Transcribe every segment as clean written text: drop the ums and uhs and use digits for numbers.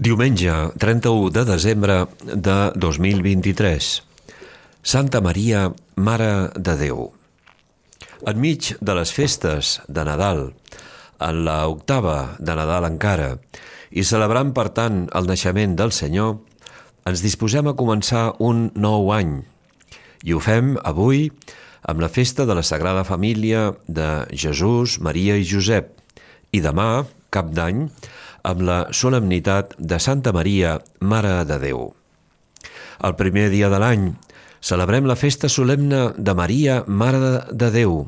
Diumenge, 31 de desembre de 2023. Santa Maria, Mare de Déu. Enmig de les festes de Nadal, en la octava de Nadal encara, i celebrant per tant el naixement del Senyor, ens disposem a començar un nou any. I ho fem avui amb la festa de la Sagrada Família de Jesús, Maria i Josep, i demà, Cap d'Any, amb la solemnitat de Santa Maria, Mare de Déu. El primer dia de l'any celebrem la festa solemne de Maria, Mare de Déu.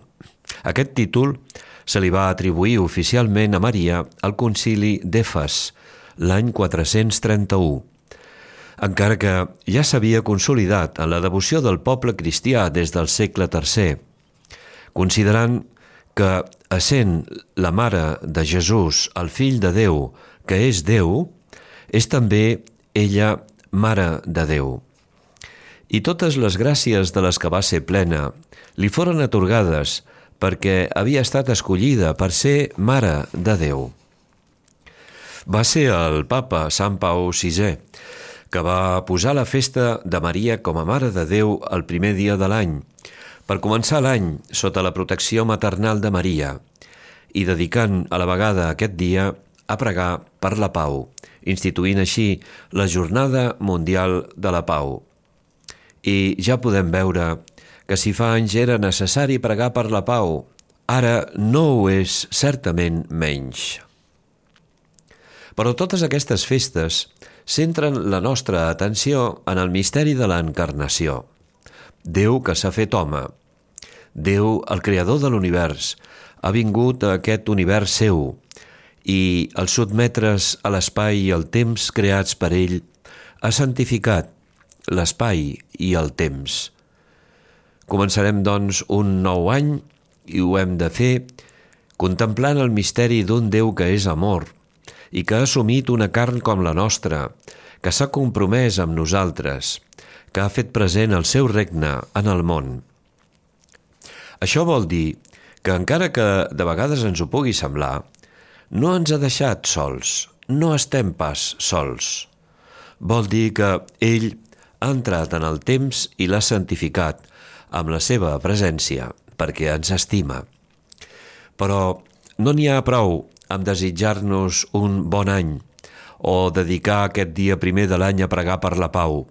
Aquest títol se li va atribuir oficialment a Maria al concili d'Efes, l'any 431, encara que ja s'havia consolidat en la devoció del poble cristià des del segle III, considerant que, essent la Mare de Jesús, el Fill de Déu, que és Déu, és també ella Mare de Déu. I totes les gràcies de les que va ser plena li foren atorgades perquè havia estat escollida per ser Mare de Déu. Va ser el papa Sant Pau VI que va posar la festa de Maria com a Mare de Déu el primer dia de l'any, per començar l'any sota la protecció maternal de Maria i dedicant a la vegada aquest dia a pregar per la pau, instituint així la Jornada Mundial de la Pau. I ja podem veure que si fa anys era necessari pregar per la pau, ara no ho és certament menys. Però totes aquestes festes centren la nostra atenció en el misteri de l'encarnació. Déu que s'ha fet home. Déu, el creador de l'univers, ha vingut a aquest univers seu i, al sotmetre's a l'espai i el temps creats per ell, ha santificat l'espai i el temps. Començarem, doncs, un nou any i ho hem de fer contemplant el misteri d'un Déu que és amor i que ha assumit una carn com la nostra, que s'ha compromès amb nosaltres, que ha fet present el seu regne en el món. Això vol dir que, encara que de vegades ens ho pugui semblar, no ens ha deixat sols, no estem pas sols. Vol dir que ell ha entrat en el temps i l'ha santificat amb la seva presència, perquè ens estima. Però no n'hi ha prou amb desitjar-nos un bon any o dedicar aquest dia primer de l'any a pregar per la pau.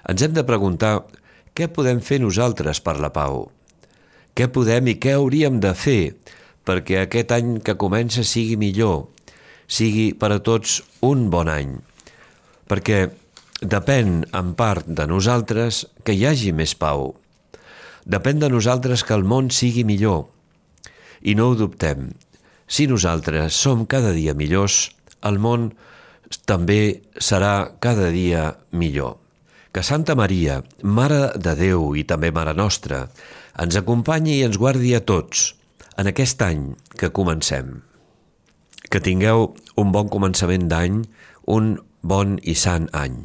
Ens hem de preguntar què podem fer nosaltres per la pau. Què podem i què hauríem de fer perquè aquest any que comença sigui millor, sigui per a tots un bon any. Perquè depèn en part de nosaltres que hi hagi més pau. Depèn de nosaltres que el món sigui millor. I no ho dubtem. Si nosaltres som cada dia millors, el món també serà cada dia millor. Que Santa Maria, Mare de Déu i també Mare Nostra, ens acompanyi i ens guardi a tots en aquest any que comencem. Que tingueu un bon començament d'any, un bon i sant any.